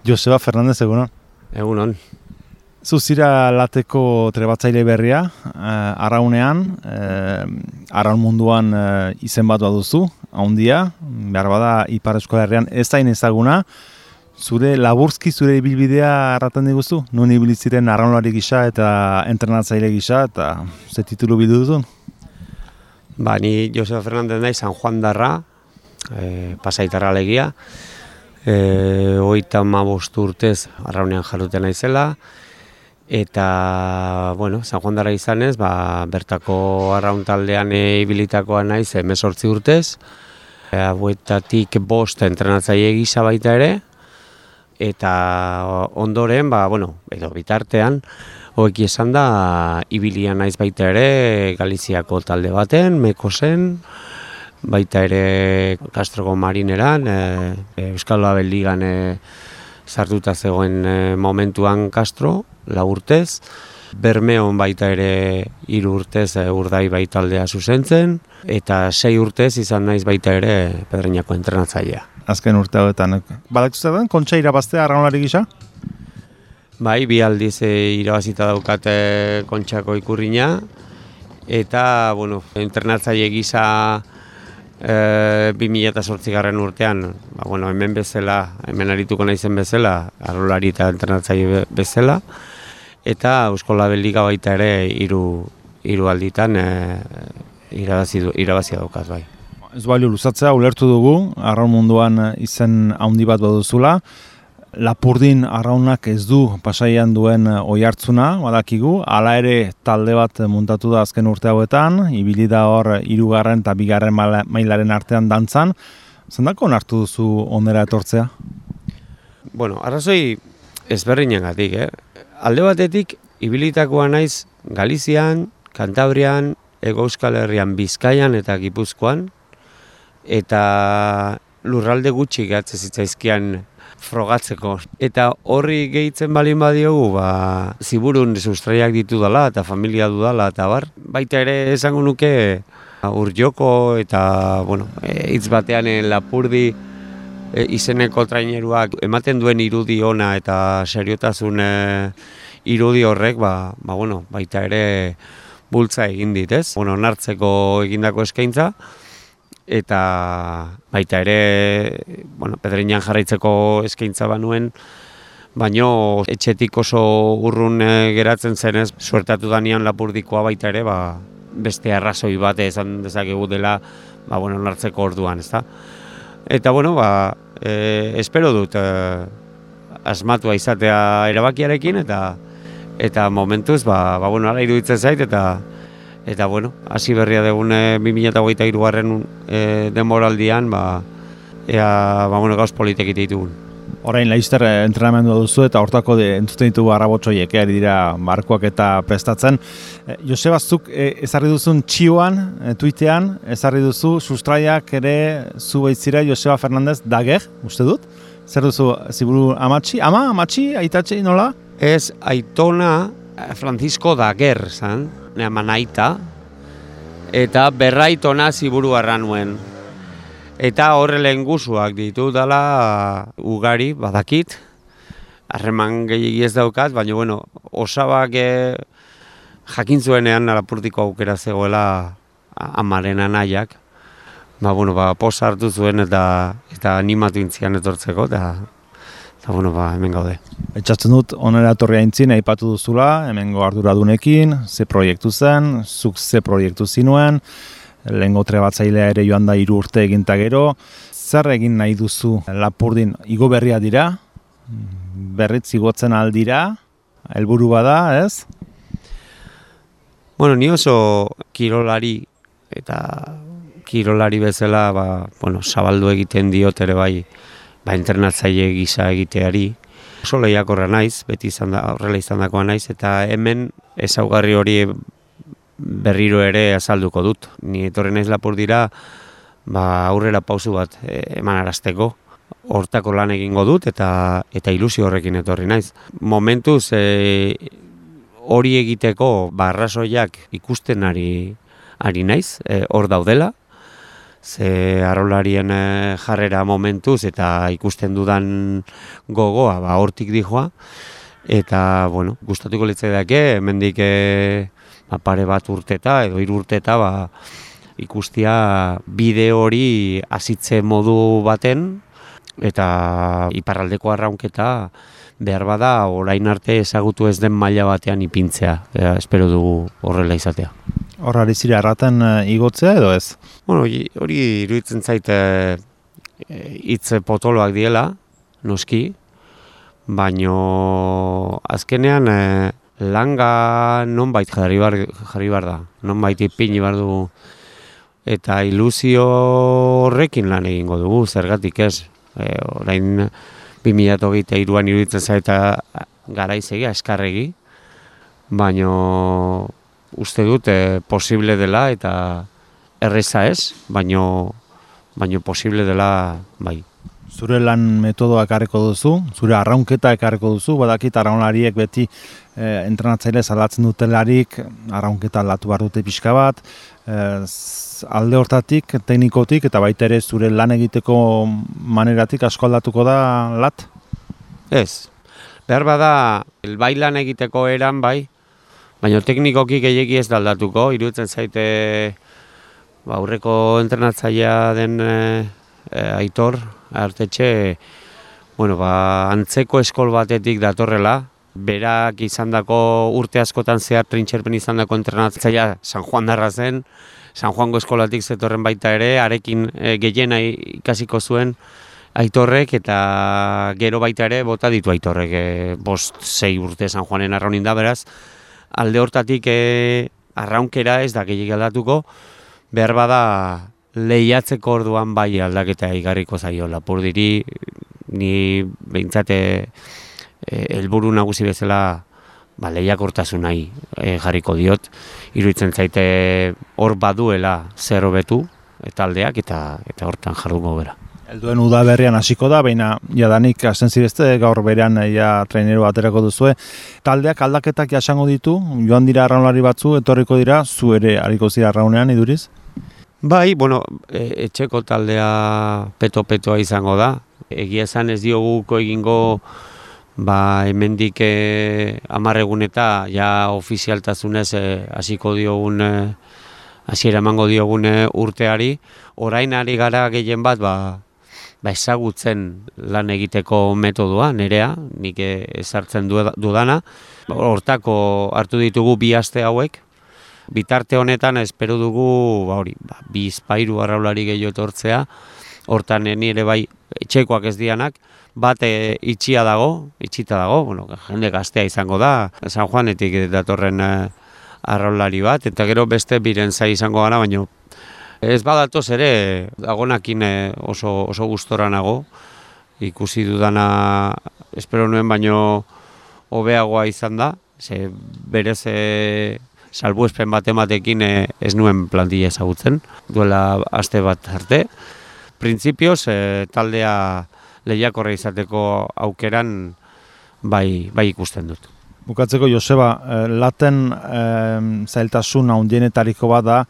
Joseba Fernandez, egunon. Egunon. Zuzira lateko trebatzaile berria, Arraunean, Arraun munduan izen bat baduzu, haundia, behar bada Ipar Euskal Herrian ez zain ezaguna, zure laburzki zure ibilbidea erraten diguzu? Nun ibiliziren arraunlari gisa eta entrenatzaile gisa, eta ze titulu bidu duzun? Ni Joseba Fernandez nahi, San Juan darra, pasaitarra alegia, 35 urtez Arraunean jarruten naizela, eta, San Juan darra izanez, bertako arraun taldean ibilitakoa naiz 18 urtez, hauetatik 5 entrenatzaile gisa baita ere, eta ondoren, edo bitartean, hoeki esan da, ibilia naiz baita ere Galiziako talde baten, Mekosen, baita ere Castroko Marineran, Euskal Label Ligan sartuta zegoen momentuan Castro, 4 urtez, Bermeon baita ere 3 urtez Urdaibai taldea zuzentzen, eta 6 urtez izan naiz baita ere Pedreñako entrenatzailea. Azken urte hauetan, badaktu zer kontxa irabaztea arraunlari gisa? Bai, 2 aldiz irabazita daukat kontxako ikurrina, eta, entrenatzaile gisa 2008 urtean, hemen bezala, hemen arituko naizen bezala, arraunlari eta entrenatzaile bezala, eta Eusko Label Liga baita ere 3 alditan irabazia daukat, bai. Ez balio luzatzea, ulertu dugu, arraun munduan izen handi bat baduzula. Lapurdin arraunak ez du Pasaian duen oihartzuna, badakigu, hala ere talde bat muntatu da azken urte hauetan, ibili da hor 3. eta 2. mailaren artean dantzan. Zendako onartu duzu onera etortzea? Arrazoi ezberdinagatik, Alde batetik, ibilitakoa naiz Galizian, Kantabrian, Hego Euskal Herrian, Bizkaian eta Gipuzkoan, eta lurralde gutxi gehatzen zitzaizkian frogatzeko. Eta horri gehitzen balin badiogu, ziburun sustraiak ditudala eta familia dudala eta bar. Baita ere esango nuke Urjoko eta hitz batean Lapurdi izeneko traineruak ematen duen irudi ona eta seriotasun irudi horrek baita ere bultza egin dit, ez? Onartzeko egindako eskaintza, eta baita ere Pedreñan jarraitzeko eskaintza banuen, baino etxetik oso urrun geratzen zenez, suertatu danean Lapurdikoa baita ere, beste arrazoi bat esan dezakegu dela, onartzeko orduan, ezta? Eta espero dut asmatua izatea erabakiarekin, eta momentuz, hala iruditzen zait, eta hasi berria dugun 2023 denboraldian, ea gauz politek ditugun. Orain Laster entrenamendua duzu eta hortako entzuten ditugu arrabotsoiek ari dira markoak eta prestatzen. Joseba, zuk ezarri duzun txioan, tuitean, ezarri duzu sustraiak ere zu baitzira Joseba Fernandez Dager, uste dut? Zer duzu, ziburu amatxi? Amatxi, aitatxe, nola? Ez, aitona Francisco Dager, zan, naita, eta berraitona ziburu arra nuen. Eta horre lehen guzuak ditu dela ugari, badakit, harreman gehiagi ez daukat, baina osabak jakin zuenean Lapurdiko aukera zegoela amaren anaiak, posa hartu zuen eta animatu intzian etortzeko, eta hemen gaude. Etxatzen dut, onera etorri aintzin, aipatu duzula, hemengo arduradunekin, ze proiektu zen, zuk ze proiektu zinuen, lehengo trebatzailea ere joan da 3 urte eginta gero. Zer egin nahi duzu Lapurdin? Igo berria dira, berritz igotzen aldira, helburu bada, ez? Ni oso kirolari, eta kirolari bezala, zabaldu egiten diot ere bai, entrenatzaile gisa egiteari. Oso lehiakorra naiz, beti horrela izandakoa naiz, eta hemen ezaugarri hori berriro ere azalduko dut. Ni etorri naiz Lapurdira aurrera pausu bat emanarazteko. Hortako lan egingo dut eta ilusio horrekin etorri naiz. Momentuz hori egiteko arrazoiak ikusten ari naiz, hor daudela. ze arraularien jarrera momentuz eta ikusten dudan gogoa, hortik dijoa. Eta, gustatuko litzaidake, hemendik pare bat urteta edo 3 urteta ikustia bideo hori hasitze modu baten eta iparraldeko arraunketa behar bada orain arte ezagutu ez den maila batean ipintzea. Espero dugu horrela izatea. Hor ari zira arraten igotzea edo ez? Hori iruditzen zait hitz potoloak diela, noski, baino azkenean langa nonbait jarri bar da, nonbait ipini bar dugu, eta ilusio horrekin lan egingo dugu, zergatik ez. Orain 2023an iruditzen zaita garaizegia, eskarregi, baino uste dut posible dela eta erreza ez, baino posible dela bai. Zure lan metodoa ekarriko duzu, zure arraunketa ekarriko duzu, badakit arraunlariek beti entrenatzaile salatzen dutelarik arraunketa aldatu behar dute pixka bat, alde hortatik, teknikotik eta baita ere zure lan egiteko maneratik asko aldatuko da lat? Ez, behar bada bai lan egiteko eran bai, baina teknikoki gehiegi ez da aldatuko, iruditzen zaite aurreko entrenatzailea den Aitor Artetxe, antzeko eskol batetik datorrela, berak izandako urte askotan zehar trintxerpen izandako entrenatzailea San Juan darra zen, San Juango eskolatik zetorren baita ere, arekin gehiena ikasiko zuen Aitorrek eta gero baita ere bota ditu Aitorrek 5-6 urte San Juanen arraunin da, beraz, alde hortatik arraunkera ez da gehiago aldatuko, behar bada lehiatzeko orduan bai aldaketa igarriko zaio Lapurdiri, ni behintzate helburu nagusi bezala lehiakortasun nahi jarriko diot, iruditzen zaite hor baduela zer hobetu taldeak eta hortan jardungo bera. Helduen udaberrian hasiko da, baina jadanik hasten zirezte, gaur berean trainero aterako duzue. Taldeak aldaketak jasango ditu, joan dira arraunlari batzu, etorriko dira, zu ere hariko zira arraunean, iduriz? Bai, etxeko taldea peto-petoa izango da. Egia esan ez dioguko egingo hemendik 10 egun eta ja ofizialtasunez hasiko diogun, hasiera emango diogun urteari. Orain ari gara gehien bat ezagutzen lan egiteko metodoa, nerea, nik ezartzen dudana. Hortako hartu ditugu 2 aste hauek. Bitarte honetan espero dugu 2 arraulari gehiago etortzea, hortan nire bai etxekoak ez dianak, bat itxita dago, jende gaztea izango da, San Juanetik datorren arraulari bat, eta gero beste biren zai izango gara, baina ez badatoz ere, dagonakin oso gustora nago, ikusi dudana, espero nuen baino hobeagoa izan da, berez salbuespen batematekin ez nuen plantilla ezagutzen, duela aste bat arte. Printzipioz, taldea lehiakorra izateko aukeran bai ikusten dut. Bukatzeko, Joseba, laten zailtasun handienetariko bat da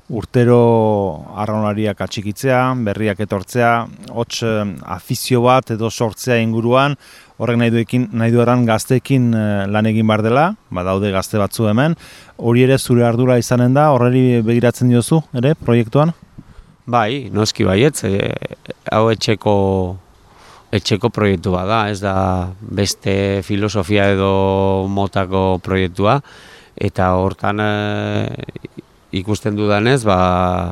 urtero arraunlariak atxikitzea, berriak etortzea, hots afizio bat edo sortzea inguruan, horrek nahi dueran gazteekin lan egin behar dela, daude gazte batzu hemen, hori ere zure ardura izanen da, horreri begiratzen diozu, ere, proiektuan? Bai, noski baietz, hau etxeko proiektu bada, ez da beste filosofia edo motako proiektua, eta hortan ikusten dudanez,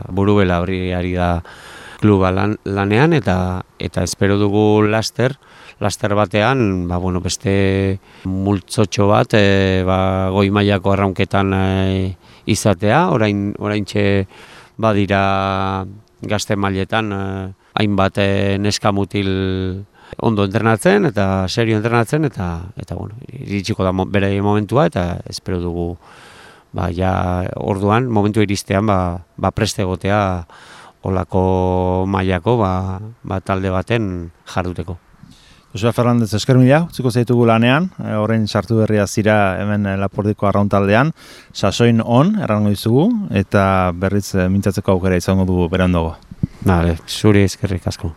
burubela hori ari da kluba lanean, eta espero dugu laster batean, beste multzotxo bat, goi mailako arraunketan izatea, oraintxe badira gazte mailetan hainbat neskamutil ondo entrenatzen eta serio entrenatzen eta iritsiko da bere momentua eta espero dugu orduan momentu iristean preste egotea olako mailako talde baten jarduteko. Joseba Fernandez, esker mila, utziko zaitugu lanean, horrein sartu berria zira hemen Lapurdiko arraun taldean, sasoin on, errango dizugu, eta berriz mintzatzeko aukera izango dugu berandago. Vale, zuri eskerrik asko.